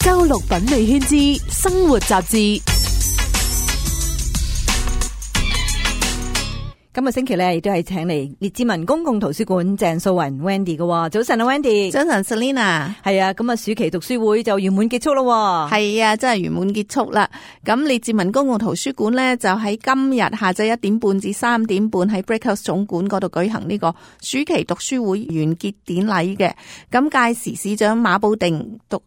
周六品味圈之生活雜誌。今日星期咧，亦都係請嚟列治文公共圖書館鄭素雲 Wendy 嘅。早晨啊 Wendy。早晨 Selina。係啊，咁啊暑期讀書會就圓滿結束咯。係啊，真係圓滿結束啦。咁列治文公共圖書館咧就喺今日下晝1點半至3點半喺 Brickhouse 總館嗰度舉行呢個暑期讀書會完結典禮嘅。咁屆時市長馬布定圖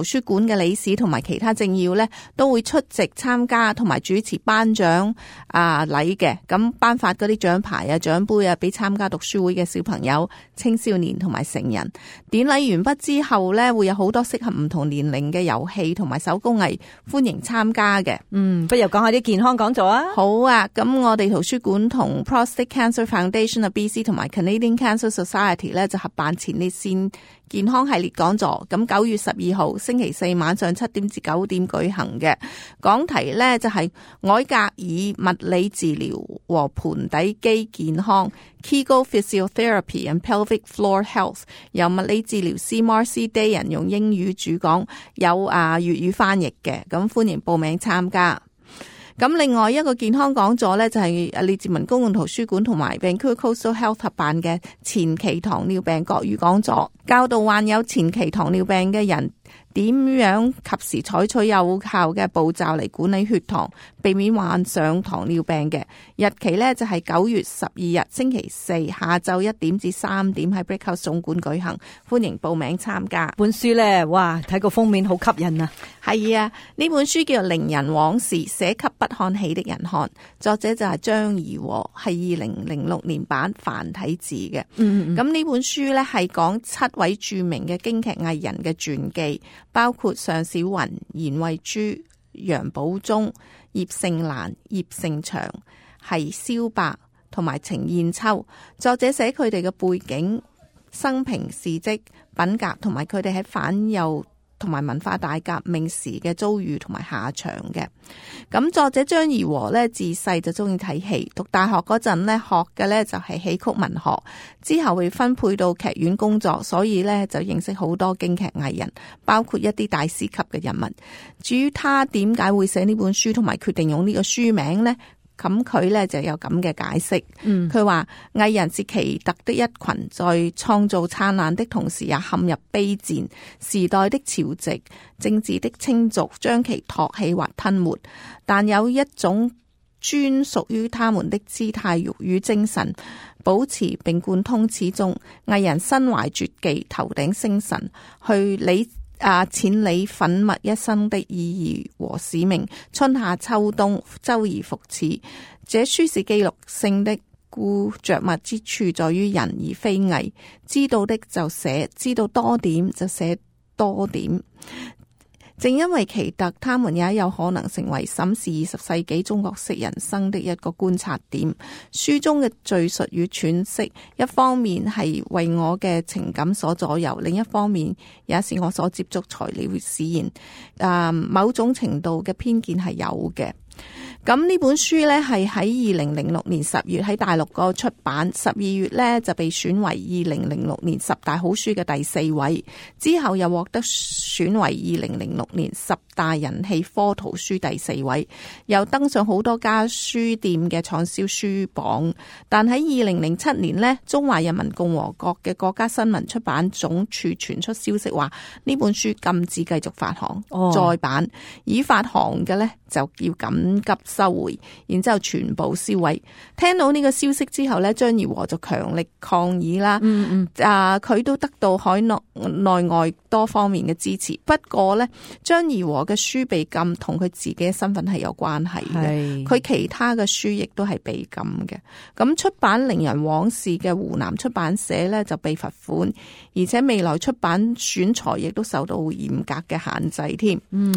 書館嘅理事同埋其他政要咧都會出席參加同埋主持頒獎禮嘅。咁頒發嗰啲獎牌啊、獎杯啊，俾參加讀書會嘅小朋友、青少年同埋成人。典禮完畢之後呢，會有好多適合唔同年齡嘅遊戲同埋手工藝，歡迎參加嘅。不如講下啲健康講座啊。好啊，咁我哋圖書館同 Prostate Cancer Foundation of BC 同埋 Canadian Cancer Society 呢，就合辦前列腺健康系列講座，咁9月12號星期四晚上7點至9點舉行嘅。講題呢就係凱格爾物理治療和盆底肌健康 Kegel Physiotherapy and Pelvic Floor Health， 由物理治療師 Marcy Dayan 用英語主講，有粵語翻譯嘅，咁歡迎報名參加。咁另外一個健康講座呢，就係列治文公共圖書館同埋 Vancouver Coastal Health 合辦嘅前期糖尿病國語講座，教導患有前期糖尿病嘅人點樣及時採取有效嘅步驟嚟管理血糖，避免患上糖尿病嘅。日期呢，就係9月12日星期四下晝1點至3點喺 Brickhouse 總館舉行，歡迎報名參加。本書呢，哇，睇個封面好吸引啊！係啊，呢本書叫做《伶人往事》，寫給不看戲的人看，作者就係張怡和，係2006年版繁體字嘅。咁呢本書呢，係講7位著名嘅京劇藝人嘅傳記，包括尚小雲、嚴慧珠、楊寶忠、葉盛蘭、葉盛祥、係蕭伯同埋程硯秋。作者寫佢哋嘅背景、生平事蹟、品格同埋佢哋喺反右同埋文化大革命時嘅遭遇同埋下場嘅。咁作者張怡和呢，自細就中意睇戲，讀大學嗰陣呢，學嘅呢就係戲曲文學，之後會分配到劇院工作，所以呢就認識好多京劇藝人，包括一啲大師級嘅人物。至於他點解會寫呢本書同埋決定用呢個書名呢？咁佢呢就有咁嘅解釋。佢話藝人是奇特的一群，在創造燦爛的同時也陷入卑賤，時代的潮汐、政治的清濁將其托起或吞沒，但有一種專屬於他們的姿態與精神保持並貫通始終。藝人身懷絕技，頭頂星辰，去淺理粉墨一生的意義和使命，春夏秋冬周而復始。這書是記錄性的，故着墨之處在於人而非藝，知道的就寫，知道多點就寫多點。正因為奇特，他們也有可能成為審視20世紀中國式人生的一個觀察點。書中嘅敘述與詮釋，一方面係為我嘅情感所左右，另一方面也是我所接觸材料使然。某種程度嘅偏見係有嘅。咁呢本書呢，係喺2006年10月喺大陸個出版，12月呢就被選為2006年10大好書嘅第4位，之後又獲得選為2006年10大人氣科圖書第4位，又登上好多家書店嘅暢銷書榜。但喺2007年呢，中華人民共和國嘅國家新聞出版總署傳出消息話，呢本書禁止繼續發行再版，已發行嘅呢就要緊急收回，然之後全部銷毀。聽到呢個消息之後呢，張怡和就強力抗議啦。佢都得到海內外多方面嘅支持。不過呢，張怡和嘅書被禁同佢自己嘅身份係有關係嘅。佢其他嘅書亦都係被禁嘅。咁出版《伶人往事》嘅湖南出版社呢就被罰款，而且未來出版選材亦都受到嚴格嘅限制添。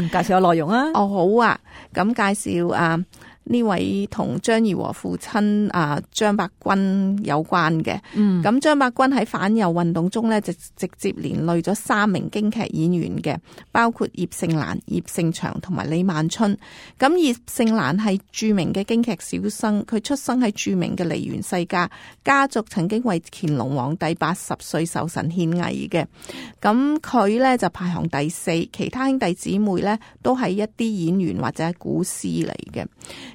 介紹下內容啊。好啊。咁介紹呢位同張儀和父親張伯鈞有關嘅。咁張伯鈞喺反右運動中呢，就直接連累咗3名京劇演員嘅，包括葉盛蘭、葉盛祥同埋李萬春。咁葉盛蘭係著名嘅京劇小生，佢出生喺著名嘅梨園世家，家族曾經為乾隆皇帝80歲壽辰獻藝嘅。咁佢呢就排行第4，其他兄弟姊妹呢都係一啲演員或者係古師嚟嘅。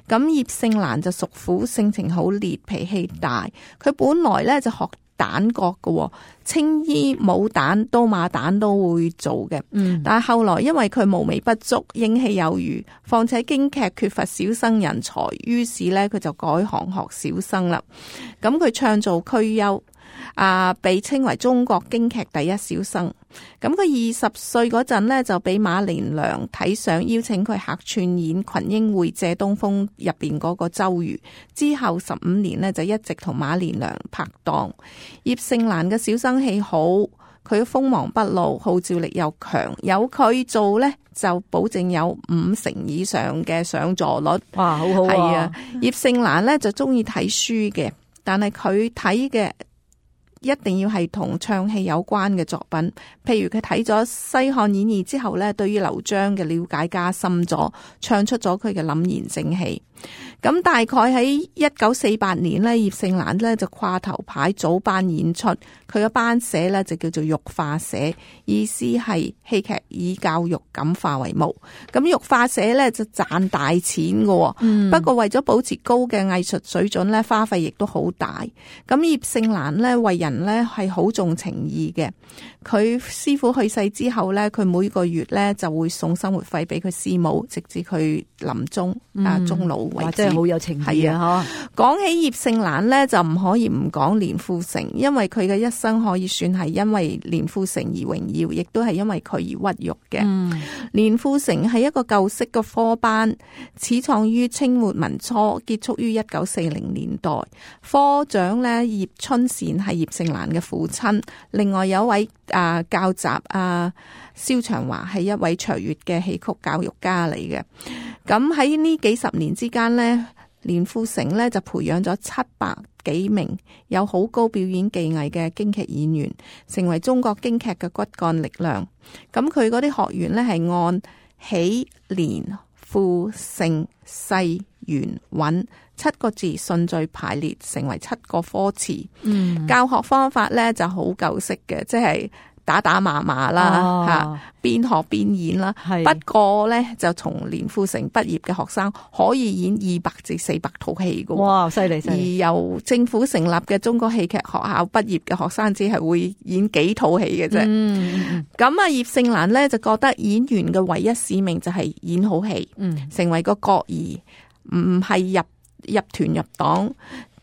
咁葉盛蘭就屬虎，性情好烈，脾氣大。佢本來咧就學旦角嘅，青衣、武旦、刀馬旦都會做嘅。但係後來因為佢無微不足，英氣有餘，況且京劇缺乏小生人才，於是咧佢就改行學小生啦。咁佢唱做區優，被稱為中國京劇第一小生。咁佢20歲嗰陣呢，就俾馬連良睇上，邀請佢客串演《群英會借東風》入邊嗰個周瑜。之後15年呢，就一直同馬連良拍檔。葉盛蘭嘅小生氣好，佢鋒芒不露，號召力又強，有佢做呢，就保證有50%以上嘅上座率。哇，好好啊！係啊，葉盛蘭呢，就中意睇書嘅，但係佢睇嘅一定要係同唱戲有關嘅作品，譬如佢睇咗《西漢演義》之後呢，對於劉璋嘅了解加深咗，唱出咗佢嘅凜然正氣。咁大概喺1948年呢，葉盛蘭呢就掛頭牌組班演出，佢嘅班社呢就叫做育化社，意思係戲劇以教育感化為目。咁育化社呢就賺大錢嘅，不過為咗保持高嘅藝術水準呢，花費亦都好大。咁葉盛蘭呢為人呢係好重情義嘅，佢師傅去世之後呢，佢每個月呢就會送生活費俾佢師母，直至佢臨終終老為止。真係好有情義啊！講起葉盛蘭呢，就唔可以唔講連富成，因為佢嘅一生可以算係因為連富成而榮耀，亦都係因為佢而屈辱嘅。連富成係一個舊式嘅科班，始創於清末民初，結束於1940年代。科長呢，葉春善係葉盛蘭嘅父親，另外有一位教習蕭長華係一位卓越嘅戲曲教育家嚟嘅。咁喺呢幾十年之間呢，連富成呢就培養咗700幾名有好高表演技藝嘅京劇演員，成為中國京劇嘅骨幹力量。咁佢嗰啲學員呢係按起、連、富、盛、勢、圓、穩7個字順序排列，成為7個科詞。教學方法呢就好舊式嘅，即係打打罵罵啦，邊學邊演啦。不過呢，就從連富成畢業嘅學生可以演200至400套戲嘅。哇，犀利！而由政府成立嘅中國戲劇學校畢業嘅學生只係會演幾套戲嘅啫。咁葉盛蘭呢，就覺得演員嘅唯一使命就係演好戲，成為個角兒，唔係入團入黨。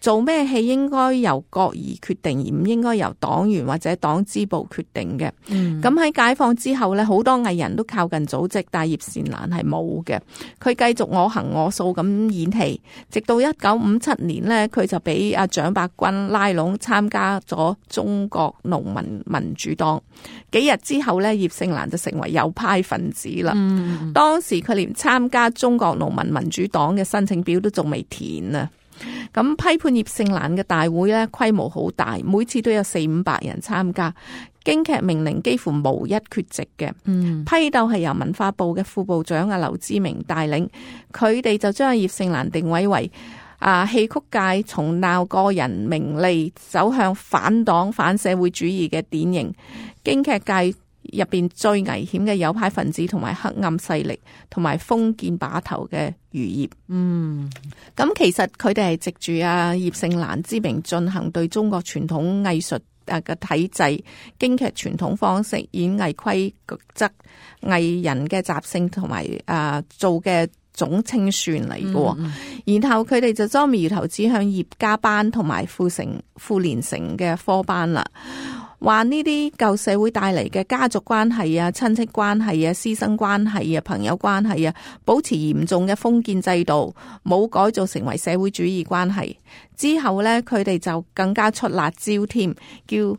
做咩戲應該由角兒決定，而唔應該由黨員或者黨支部決定嘅。咁喺解放之後呢，好多藝人都靠近組織，但葉盛蘭係冇嘅。佢繼續我行我素咁演戲，直到1957年呢，佢就俾蔣伯鈞拉攏參加咗中國農民民主黨。幾日之後呢，葉盛蘭就成為右派分子啦。當時佢連參加中國農民民主黨嘅申請表都仲未填啊！咁批判葉盛蘭嘅大會呢，規模好大，每次都有400-500人參加。京劇名伶幾乎無一缺席嘅。批鬥係由文化部嘅副部長劉知明帶領，佢哋就將葉盛蘭定位為戲曲界從鬧個人名利走向反黨反社會主義嘅典型。京劇界入邊最危險嘅右派分子同埋黑暗勢力，同埋封建把頭嘅餘孽。咁其實佢哋係藉住葉盛蘭之名進行對中國傳統藝術嘅體制、京劇傳統方式、演藝規則、藝人嘅習性同埋做嘅總清算嚟嘅。然後佢哋就將苗頭指向葉家班同埋傅連成嘅科班啦。話呢啲舊社會帶嚟嘅家族關係親戚關係師生關係朋友關係保持嚴重嘅封建制度，冇改造成為社會主義關係。之後呢，佢哋就更加出辣椒添，叫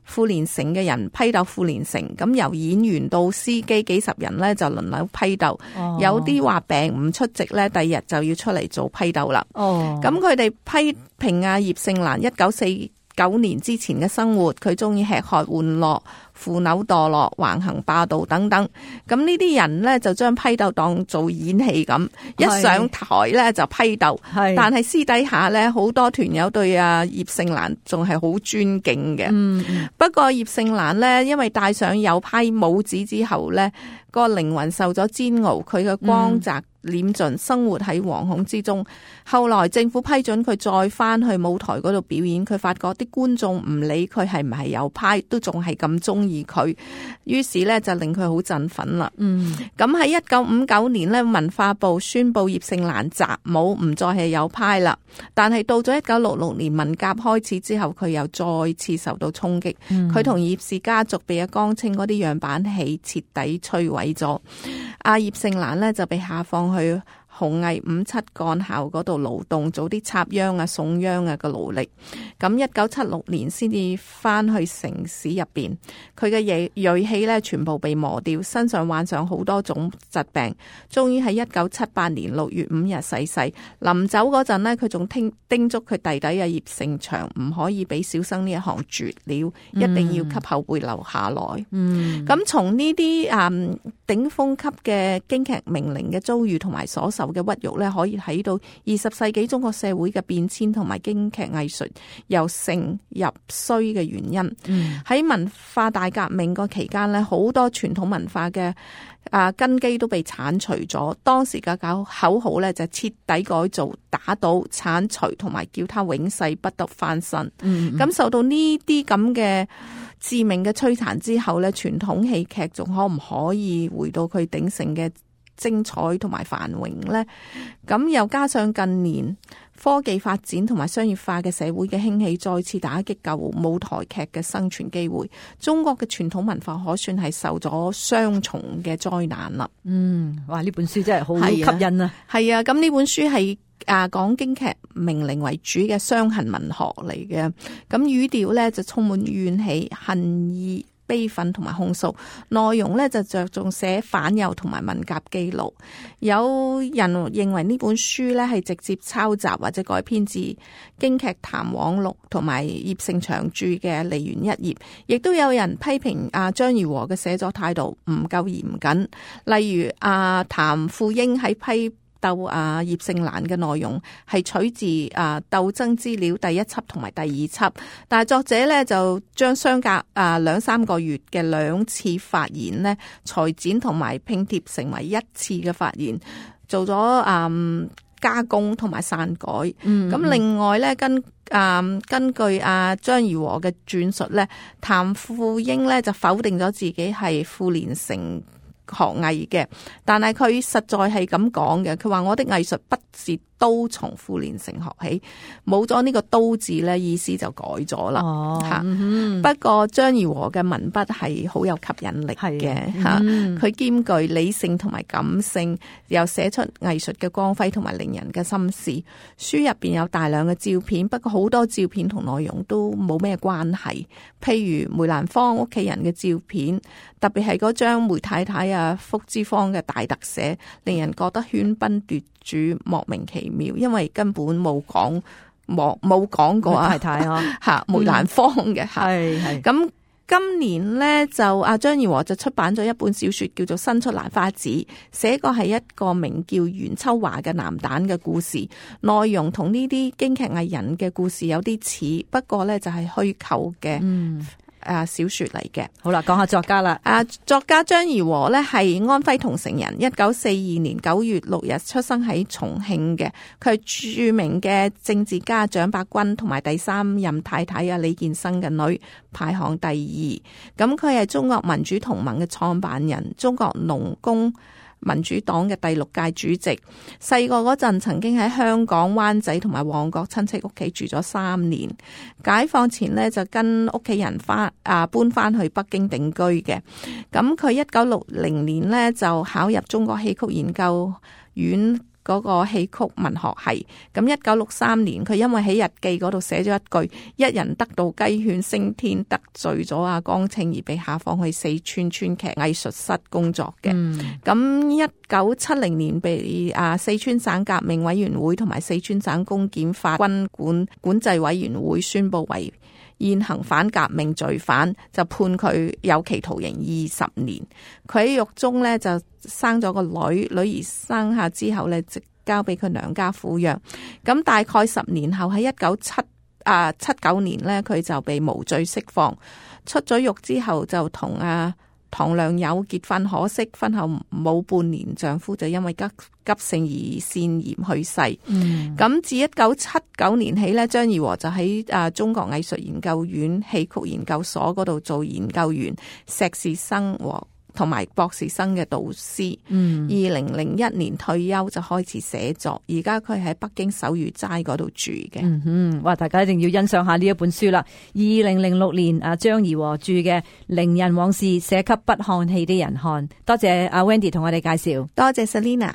富連城嘅人批鬥富連城，咁由演員到司機幾十人咧就輪流批鬥，有啲話病唔出席咧，第二日就要出嚟做批鬥啦。咁佢哋批評葉聖蘭1949年之前嘅生活，佢中意吃喝玩樂、腐朽墮落、橫行霸道等等。咁呢啲人呢，就將批鬥當做演戲咁，一上台呢就批鬥。但係私底下呢，好多團友對葉聖蘭仲係好尊敬嘅。不過葉聖蘭呢，因為戴上右派帽子之後呢，個靈魂受咗煎熬，佢嘅光澤斂盡，生活喺惶恐之中。後來政府批准佢再翻去舞台嗰度表演，佢發覺啲觀眾唔理佢係唔係右派，都仲係咁中意佢，於是咧就令佢好振奮啦。咁喺1959年咧，文化部宣布葉聖蘭習武，唔再係右派啦。但係到咗1966年文革開始之後，佢又再次受到衝擊。佢同葉氏家族被阿江青嗰啲樣板戲徹底摧毀咗。阿葉聖蘭呢，就被下放去紅藝57幹校嗰度勞動，做啲插秧啊、送秧啊嘅勞力。咁1976年先至翻去城市入邊，佢嘅銳氣咧全部被磨掉，身上患上好多種疾病，終於喺1978年6月5日逝世。臨走嗰陣呢，佢仲叮囑佢弟弟葉盛祥唔可以俾小生呢一行絕了，一定要給後輩留下來。咁從呢啲頂峰級嘅京劇名伶嘅遭遇同埋所受嘅屈辱咧，可以睇到20世紀中國社會嘅變遷同埋京劇藝術由盛入衰嘅原因。喺文化大革命個期間咧，好多傳統文化嘅根基都被剷除咗。當時嘅口號咧就徹底改造、打倒、剷除同埋叫他永世不得翻身。咁受到呢啲咁嘅致命嘅摧殘之後咧，傳統戲劇仲可唔可以回到佢鼎盛嘅精彩同埋繁榮呢？咁又加上近年科技發展同埋商業化嘅社會嘅興起，再次打擊舊舞台劇嘅生存機會。中國嘅傳統文化可算係受咗雙重嘅災難啦。哇！呢本書真係好吸引啊！係啊，咁呢本書係講京劇名伶為主嘅傷痕文學嚟嘅。咁語調咧就充滿怨氣、恨意、悲憤同埋控訴，內容咧就着重寫反右同埋文革記錄。有人認為呢本書咧係直接抄襲或者改編自京劇談往錄同埋葉盛祥著嘅梨園一頁，亦都有人批評張怡和嘅寫作態度唔夠嚴謹，例如譚富英喺批鬥葉聖蘭嘅內容係取自鬥爭資料第1輯同埋第2輯，但係作者咧就將相隔2-3個月嘅2次發言呢裁剪同埋拼貼成為1次嘅發言，做咗加工同埋刪改。咁另外咧根據張怡和嘅轉述咧，譚富英咧就否定咗自己係富連城學藝嘅，但係佢實在係咁講嘅。佢話我的藝術不是都從富連城學起，冇咗呢個都字咧，意思就改咗啦。不過張怡和嘅文筆係好有吸引力嘅吓，佢兼具理性同埋感性，又寫出藝術嘅光輝同埋令人嘅心事。書入邊有大量嘅照片，不過好多照片同內容都冇咩關係。譬如梅蘭芳屋企人嘅照片，特別係嗰張梅太太福芝芳嘅大特寫，令人覺得喧賓奪主，莫名其妙，因為根本冇講過太太梅蘭芳嘅係咁。今年呢，就張怡和就出版咗一本小說叫做《新出蘭花子》，寫個係一個名叫袁秋華嘅男旦嘅故事，內容同呢啲京劇藝人嘅故事有啲似，不過呢就係虛構嘅小說嚟嘅。好啦，講下作家啦。作家張怡和呢係安徽桐城人，1942年9月6日出生喺重慶嘅。佢係著名嘅政治家蔣伯鈞同埋第3任太太李建生嘅女，排行第2。咁佢係中國民主同盟嘅創辦人，中國農工民主黨嘅第6屆主席。細個嗰陣曾經喺香港灣仔同埋旺角親戚屋企住咗3年。解放前呢，就跟屋企人搬翻去北京定居嘅。咁佢1960年呢，就考入中國戲曲研究院嗰個戲曲文學系。咁1963年，佢因為喺日記嗰度寫咗一句：一人得道雞犬升天，得罪咗阿江青而被下放去四川川劇藝術室工作嘅。咁1970年被四川省革命委員會同埋四川省公檢法軍管制委員會宣布為現行反革命罪犯，就判佢有期徒刑20年。佢喺獄中呢就生咗個女兒生下之後呢，就交俾佢娘家撫養。咁大概10年後喺1979年呢，佢就被無罪釋放。出咗獄之後就同唐良友結婚，可惜婚後冇半年，丈夫就因為急性胰腺炎去世。咁自1979年起呢，張怡和就喺中國藝術研究院戲曲研究所嗰度做研究員、碩士生同埋博士生嘅導師。2001年退休就開始寫作，而家佢喺北京首遇齋嗰度住嘅。哇！大家一定要欣賞下呢一本書啦。2006年張怡和著嘅《伶人往事》，寫給不看戲的人看。多謝阿 Wendy 同我哋介紹。多謝 Selina。